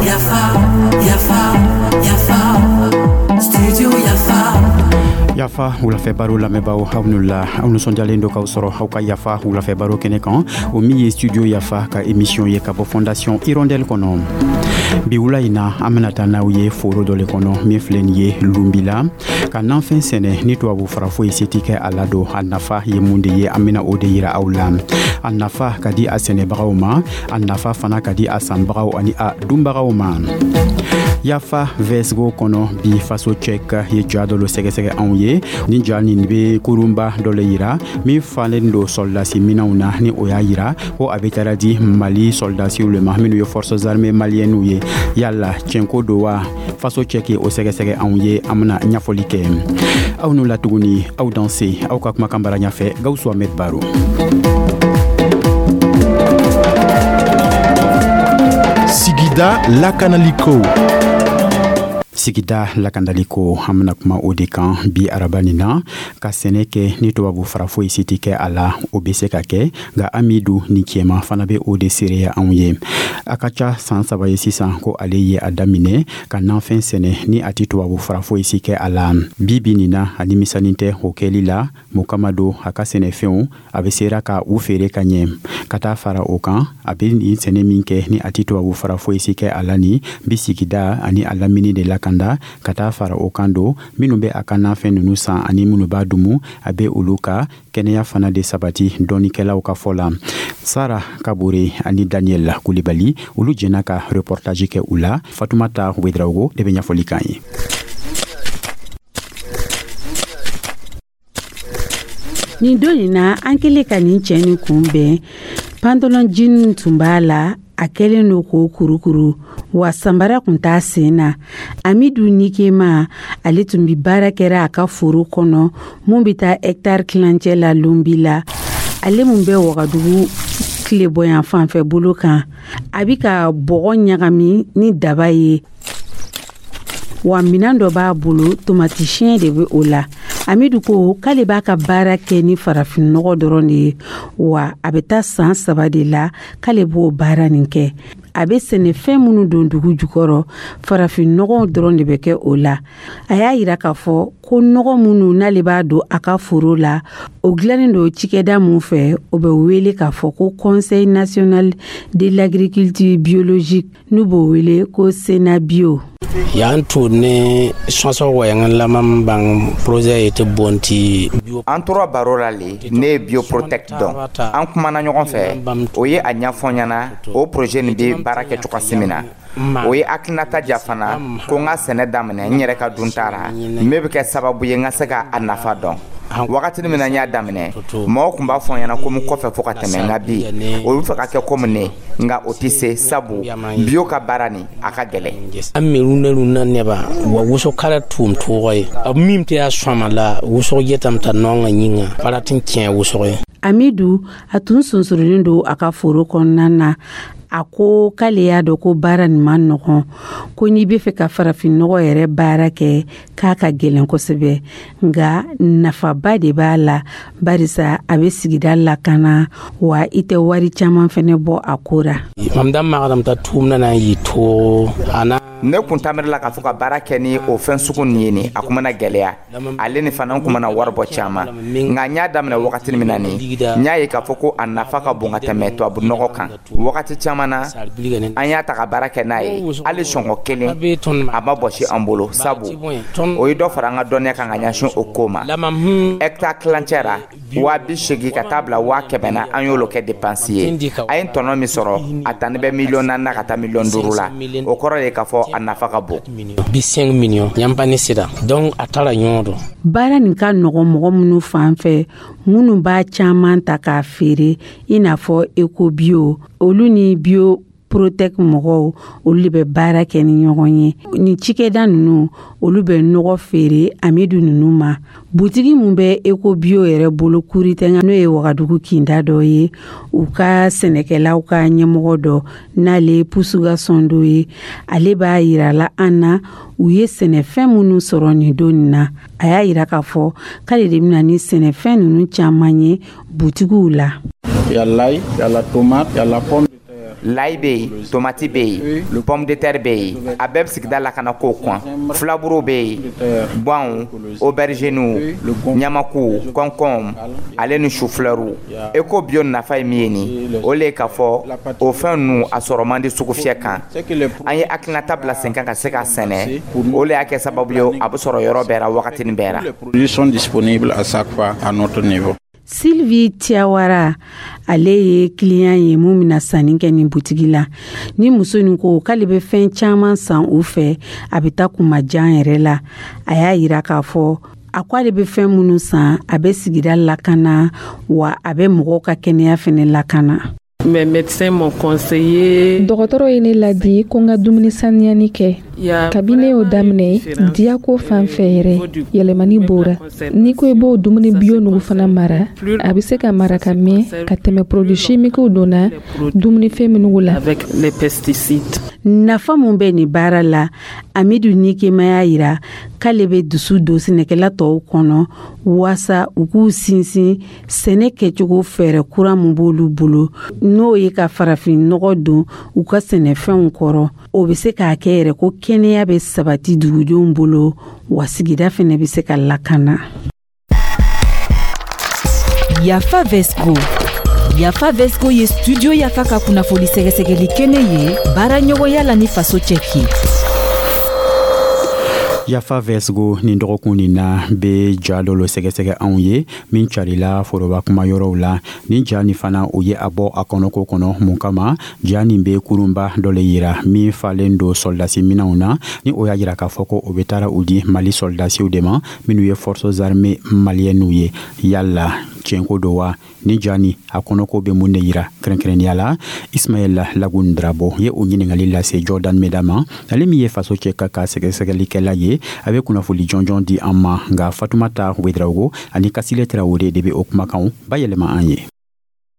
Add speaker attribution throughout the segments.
Speaker 1: Yafa, yafa, yafa, studio Yafa.
Speaker 2: Yafa wulafɛ baro lamɛnbaaw, aw n'u la, aw nisɔndiyalen do k'aw sɔrɔ aw ka Yafa wulafɛ baro kɛnɛ kan, o min ye Studio Yafa ka émission ye ka bɔ Fondation Hirondelle kɔnɔ. Bi wula in na, an bena taa n'aw ye foro dɔ le kɔnɔ min filɛ nin ye Lunbila, ka nanfɛn sɛnɛ ni tubabu fara foyi se ti kɛ a la don. A nafa ye mun de ye? An bena o de yira aw la. A nafa ka di a sɛnɛbagaw ma, a nafa fana ka di a sanbagaw ani a dunbagaw ma. Yafa vsgo kɔnɔ bi, Faso Cɛk ye ja dɔ lo sɛgɛsɛgɛ anw ye. Ni ja nin be kurunba dɔ le yira min falen do sɔrɔdasi minɛnw na, ni o y'a yira ko a be taara di Mali sɔrɔdasiw le ma minnu ye Forces armées maliennew ye. Yala tiɲɛko do wa? Faso Cɛk o sɛgɛsɛgɛ anw ye, an bena ɲɛfɔli kɛ aw n'u la tuguni. Aw danse, aw ka kumakan bara ɲafɛ, Gawusu Ahmed Baro.
Speaker 3: Sigida lakanaliko.
Speaker 2: Sigida lakandaliko, an bena kuma o de kan bi araba nin na. Ka sɛnɛ kɛ ni tubabu fara foyi si tɛ kɛ a la, o be se ka kɛ, nka Amidu ni cɛma fana be o de seereya anw ye. A ka ca san 3 ye sisan ko ale ye a daminɛ ka nanfɛn sɛnɛ ni a tɛ tubabu fara foyi si kɛ a la. Bi bi nin na, a nimisanin tɛ o kɛli la. Mun kama don? A ka sɛnɛfɛnw, a bɛ sera ka u feere ka ɲɛ. Ka taa fara o kan, a bɛ nin sɛnɛ min kɛ ni a tɛ tubabu fara foyi si kɛ a la, nin bi sigida ani a lamini de lakanda. Ka taa fara o kan don, minnu bɛ a ka nafɛn ninnu san ani minnu b'a dumu, a bɛ olu ka kɛnɛya fana de sabati, dɔnnikɛlaw ka fɔ la. Sara Kabore ani Daniel Kulibali, olu jɛna ka reportage kɛ u la. Fatumata Wedraogo de bɛ ɲɛfɔli kan ye.
Speaker 4: Nin don in na, an kɛlen ka nin cɛ nin kunbɛn, pantalon jean tun b'a la, a kɛlen don k'o kurukuru, wa sanbara tun t'a sen na. Amidu Nikema, ale tun bi baara kɛra a ka foro kɔnɔ mun bɛ taa hɛkitari tilancɛ la Lonbi la, ale mun bɛ Wagadugu tilebɔyan fanfɛ bolo kan. A bi ka bɔgɔ ɲagami ni daba ye, wa minan dɔ b'a bolo, tomati siɲɛ de bɛ o la. Amidu ko k'ale b'a ka baara kɛ ni farafinnɔgɔ dɔrɔn de ye, wa a bɛ taa san 3 de la k'ale b'o baara nin kɛ. A bɛ sɛnɛfɛn minnu don dugu jukɔrɔ, farafinnɔgɔ dɔrɔn de bɛ kɛ o la. A y'a yira k'a fɔ ko nɔgɔ minnu n'ale b'a don a ka foro la, o dilannen don cikɛda mun fɛ, o bɛ wele k'a fɔ ko Conseil national de l'agriculture biologique, n'u b'o wele ko Senabio.
Speaker 5: Yan to ne sɔnsɔn wɔyanga laman bang projet ye tɛ bonti.
Speaker 6: An tora baro la le, ne ye Bioprotect dɔn, an kumana ɲɔgɔn fɛ, o ye a ɲɛfɔ ɲɛna o projet nin bɛ baara kɛ cogoya min na. O ye hakilinata ja fana ko n ka sɛnɛ daminɛ n yɛrɛ ka dunta ra, min bɛ kɛ sababu ye n ka se ka a nafa dɔn. Wagati min na n y'a daminɛ, mɔgɔw tun b'a fɔ n ɲɛna ko n kɔfɛ fo ka tɛmɛ, nka bi olu fɛ ka kɛ komi ne, nka o tɛ se, sabu bio ka baara nin a ka gɛlɛn.
Speaker 5: An miru na neba wa wuso kala tum tɔgɔ ye a min tɛ a sɔma la wuso yɛtam ta nɔn ka ɲinga faratin tiɲɛ wuso ye.
Speaker 4: Amidu, a tun sonsorolen don a ka foro kɔnɔna na. A ko k'ale y'a dɔn ko baara nin man nɔgɔn, ko n'i bɛ fɛ ka farafinnɔgɔ yɛrɛ baara kɛ, k'a ka gɛlɛn kosɛbɛ, nka nafaba de b'a la, barisa a bɛ sigida lakana, wa i tɛ wari caman fɛnɛ bɔ a ko ra.
Speaker 6: Ne kun tamiri la k'a fɔ ka baara kɛ ni o fɛn sugu nin ye, nin a kun mana gɛlɛya, ale ni fana n kun mana wari bɔ caman, nka n y'a daminɛ wagati min na nin, n y'a ye k'a fɔ ko a nafa ka bon ka tɛmɛ tubabu nɔgɔ kan. Wagati caman na, an y'a ta ka baara kɛ n'a ye, hali sɔngɔ kelen a ma bɔsi an bolo, sabu o ye dɔ fara an ka dɔnniya kan ka ɲɛsin o ko ma. Hɛkitari tilancɛ ra, 80,000 ka taa bila 100,000 na, an y'olu kɛ dépense ye. A ye tɔnɔ min sɔrɔ, a tani bɛ miliyɔn 4 na ka taa miliyɔn 5 la. O kɔrɔ ye k'a fɔ a nafa ka bon.
Speaker 5: 50 miliyɔn yanpa ni sira donc a taara ɲɔgɔn dɔn.
Speaker 4: Baara nin ka nɔgɔn mɔgɔ minnu fan fɛ, minnu b'a caman ta k'a feere, i n'a fɔ Ecobio, olu ni Bio Protect mɔgɔw, olu de bɛ baara kɛ ni ɲɔgɔn ye. Nin cikɛda ninnu, olu bɛ nɔgɔ feere Amidu ninnu ma. Butigi mun bɛ Ecobio yɛrɛ bolo Kuritɛnga, n'o ye Wagadugu kinda dɔ ye, u ka sɛnɛkɛlaw ka ɲɛmɔgɔ dɔ, n'ale Pusuga Sɔndo ye, ale b'a yira la an na u ye sɛnɛfɛn minnu sɔrɔ nin don nin na. A y'a yira k'a fɔ k'ale de bɛna ni sɛnɛfɛn ninnu caman ye butigiw la.
Speaker 7: Il y a l'ail, il y a la tomate, il y a la pomme de terre.
Speaker 6: Layi bɛ yen, tomati bɛ yen, pomme de terre bɛ yen, a bɛɛ bɛ sigida lakana kow kan. Filaburu bɛ yen, ganw, aubergine, ɲamaku, concombre ale ni chou-fleur. Éco bio nafa ye min ye nin, o le ye k'a fɔ o fɛn ninnu a sɔrɔ man di sugufiyɛ kan. An ye hakilinata bila sen kan ka se k'a sɛnɛ, o le y'a kɛ sababu ye a bɛ sɔrɔ yɔrɔ bɛɛ la, wagatinin bɛɛ la.
Speaker 7: Les produits sont disponibles à chaque fois à notre niveau.
Speaker 4: Sylvie Tiawara, ale ye client ye mun bɛna sanni kɛ nin butigi la. Ni muso nin ko k'ale bɛ fɛn caman san u fɛ, a bɛ taa kunmajan yɛrɛ la. A y'a yira k'a fɔ a ko ale bɛ fɛn minnu san, a bɛ sigida lakana, wa a bɛ mɔgɔw ka kɛnɛya fɛnɛ lakana.
Speaker 8: Mes médecins m'ont conseillé.
Speaker 9: Dɔgɔtɔrɔ ye ne ladi ko n ka dumuni saniyani kɛ. Kabi ne y'o daminɛ, diyako fan fɛ yɛrɛ, yɛlɛmani b'o n'i ko i b'o dumuni bio nugu fana mara, a bɛ se ka mara ka mɛn ka tɛmɛ produit chimiques donna dumunifɛn minnu la.
Speaker 8: Avec les pesticides.
Speaker 4: Nafa mun bɛ nin baara la? Amidu Nikema y'a yira k'ale bɛ dusu don sɛnɛkɛla tɔw kɔnɔ waasa u k'u sinsin sɛnɛ kɛcogo fɛɛrɛ kura mun b'olu bolo, n'o ye ka farafin nɔgɔ don u ka sɛnɛfɛnw kɔrɔ. O bɛ se k'a kɛ yɛrɛ ko kɛnɛya bɛ sabati dugudenw bolo, wa sigida fɛnɛ bɛ se ka lakana.
Speaker 10: Yafa Vesco. Yafa Vesco ye Studio Yafa ka kunnafoni sɛgɛsɛgɛli kɛnɛ ye, baara ɲɔgɔnya la ni Faso Cɛki.
Speaker 2: Yafa Vɛsgo nin dɔgɔkun nin na be ja dɔ lo sɛgɛsɛgɛ anw ye min carila foroba kuma yɔrɔw la. Nin ja nin fana, o ye a bɔ a kɔnɔko kɔnɔ mun kama? Ja nin be kurunba dɔ le yira min falen do sɔldasi minɛnw na, ni o y'a yira k'a fɔ ko o be taara u di Mali sɔldasiw de ma, minnu ye Forces armées maliennew ye. Yala tiɲɛko do wa? Ni ja ni a kɔnɔko bɛ mun de yira kɛrɛnkɛrɛnnenya la? Ismaɛl Lagun Drabo ye o ɲiningali lase Jordan Meda ma, ale min ye Faso Cɛ ka sɛgɛsɛgɛlikɛla ye. A bɛ kunnafoli jɔnjɔn di an ma, nka Fatumata Wedraogo ani Kasile Tarawele de bɛ o kumakanw bayɛlɛma an ye.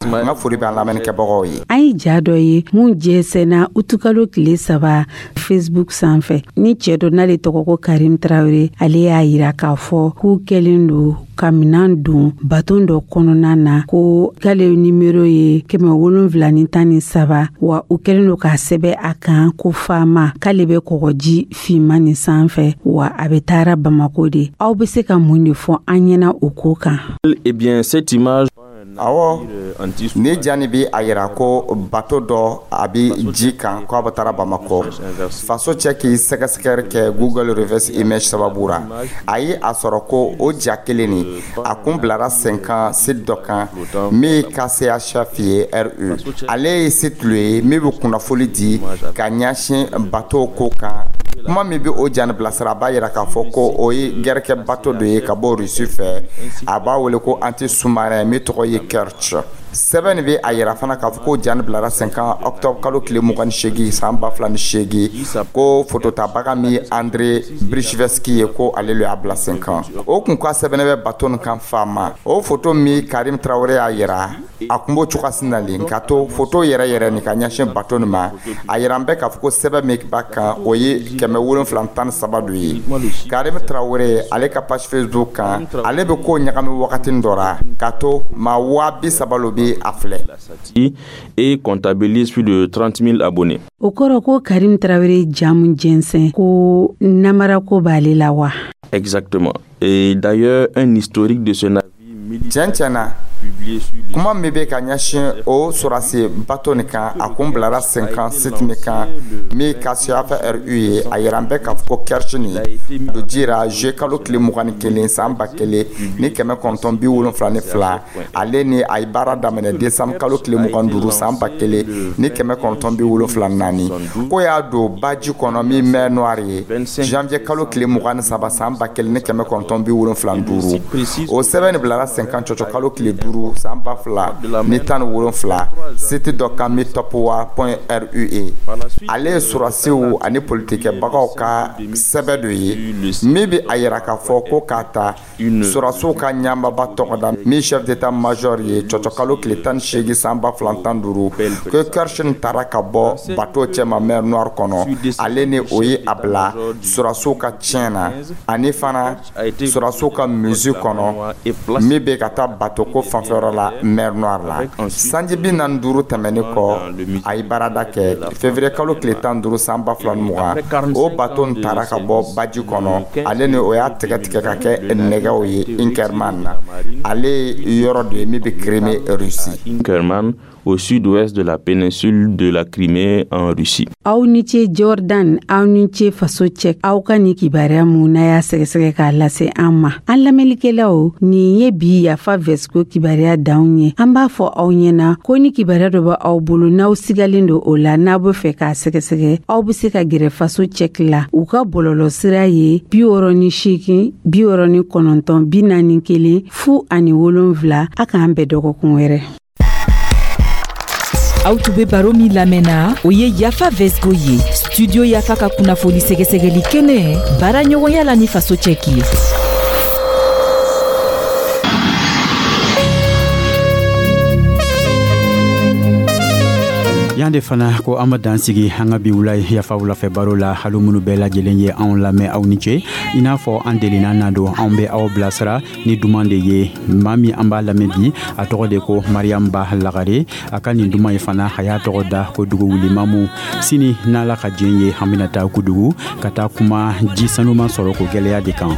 Speaker 6: N ka foli bɛ an lamɛnnikɛbagaw ye.
Speaker 4: An ye ja dɔ ye mun jɛnsɛnna utukalo tile 3 Facebook sanfɛ, ni cɛɛ dɔ n'ale tɔgɔ ko Karim Tarawele. Ale y'a yira k'a fɔ k'u kɛlen do ka minan don baton dɔ kɔnɔna na, ko k'ale nimero ye 713, wa u kɛlen do k'a sɛbɛ a kan ko faama, k'ale bɛ kɔgɔji finman nin sanfɛ, wa a bɛ taara Bamako de. Aw be se ka mun de fɔ an ɲɛna o ko kan?
Speaker 11: Eh bien, cette image.
Speaker 6: Awɔ, ni ja nin bi a yira ko bato dɔ a bi ji kan, ko a bɛ taara Bamakɔ. Faso Cɛ k'i sɛgɛsɛgɛli kɛ Google reverse image sababu ra, a ye a sɔrɔ ko o ja kelen nin, a kun bilara sen kan site dɔ kan min KCHF ye RU. Ale ye site lo ye min bɛ kunnafoli di ka ɲɛsin bato ko kan. Kuma min bɛ o ja nin bilasira, a b'a yira k'a fɔ ko o ye gɛrɛkɛ bato dɔ ye ka bɔ Rusi fɛ, a b'a wele ko anti sous-marin min tɔgɔ ye Kerch. Sɛbɛn nin bɛ a yira fana k'a fɔ ko ja nin bilara sen kan octobre kalo tile 28 san 2008, ko fototabaga min André Brichveski ye, ko ale le y'a bila sen kan. O kun ka sɛbɛnnen bɛ bato nin kan faama. O foto min Karim Tarawele y'a yira, a kun b'o cogoya sin na le ka to foto yɛrɛ yɛrɛ nin ka ɲɛsin bato nin ma. A yira an bɛ k'a fɔ ko sɛbɛn min b'a kan, o ye 713 dɔ ye. Karim Tarawele, ale ka page Facebook kan, ale bɛ ko ɲagami wagati dɔ ra ka to maa 30.000 lo bɛ a filɛ.
Speaker 11: Et comptabilise plus de 30 000 abonnés.
Speaker 4: O kɔrɔ ko Karim Tarawele jamu jɛnsɛn ko namarako b'ale la wa?
Speaker 11: Exactement. Et d'ailleurs, un historique de ce navire
Speaker 6: Tiɲɛ tiɲɛ na, kuma min bɛ ka ɲɛsin o sɔrɔsi bato nin kan, a kun bilara sen kan site min kan min KCF RU ye, a yira an bɛ k'a fɔ ko Kerch nin don jira juillet kalo tile 21 san 1972. Ale ni a ye baara daminɛ décembre kalo tile 25 san 1974, ko y'a don baji kɔnɔ min mer Noire ye janvier kalo tile 23 san 1975. O sɛbɛn nin bilara sen kan cɔcɔ kalo tile 5 san 2017 site dɔ kan min topwa.ru. Ale ye sɔrɔsiw ani politikɛbagaw ka sɛbɛn dɔ ye min bɛ a yira k'a fɔ ko k'a ta sɔrɔsiw ka ɲɛmaaba tɔgɔ da min chef d'état major ye cɔcɔ kalo tile 18 san 2015, ko Kerch taara ka bɔ bateau cɛma mer Noire kɔnɔ. Ale ni o ye a bila sɔrɔsiw ka tiɲɛ na ani fana sɔrɔsiw ka musée kɔnɔ min bɛ ka taa bateau ko fan. fanfɛyɔrɔ la, mer Noire la. Sanji 45 tɛmɛnen kɔ, a ye baarada kɛ février kalo tile 15 san 2020. O bato nin taara ka bɔ baji kɔnɔ, ale ni o y'a tigɛ tigɛ ka kɛ nɛgɛw ye Inkerman na. Ale ye yɔrɔ dɔ ye min bɛ Crimée, Russie.
Speaker 11: Inkerman, au sud-ouest de la péninsule de la Crimée en Russie.
Speaker 4: Aw ni ce Jordan, aw ni ce Faso Cɛ, aw ka nin kibaruya mun n'a y'a sɛgɛsɛgɛ k'a lase an ma. An lamɛnlikɛlaw, nin ye bi Yafa Vɛsiko kibaruya danw ye. An b'a fɔ aw ɲɛna ko ni kibaruya dɔ bɛ aw bolo, n'aw sigalen don o la, n'a bɛ fɛ k'a sɛgɛsɛgɛ, aw bɛ se ka gɛrɛ Faso Cɛki la. U ka bɔlɔlɔ sira ye 68 69 41 07. A k'an bɛn dɔgɔkun wɛrɛ.
Speaker 10: Aw tun be baro min lamɛnna, o ye Yafa Vɛsgo ye, Studio Yafa ka kunnafoni sɛgɛsɛgɛli kɛnɛ, baara ɲɔgɔnya la ni Faso Cɛki ye.
Speaker 2: Yan de fana ko an ma dan sigi an ka bi wula Yafa wulafɛ baro la. Hali minnu bɛɛ lajɛlen ye anw lamɛn, aw ni ce. I n'a fɔ an delina na don, anw bɛ aw bilasira ni duman de ye. Maa min an b'a lamɛn bi, a tɔgɔ de ko Mariam Ba Lagare. A ka nin duman ye fana, a y'a tɔgɔ da ko dugu wulimamu. Sini n'Ala ka diɲɛ ye, an bɛna taa Kudugu ka taa kuma ji sanuman sɔrɔ ko gwɛlɛya de kan.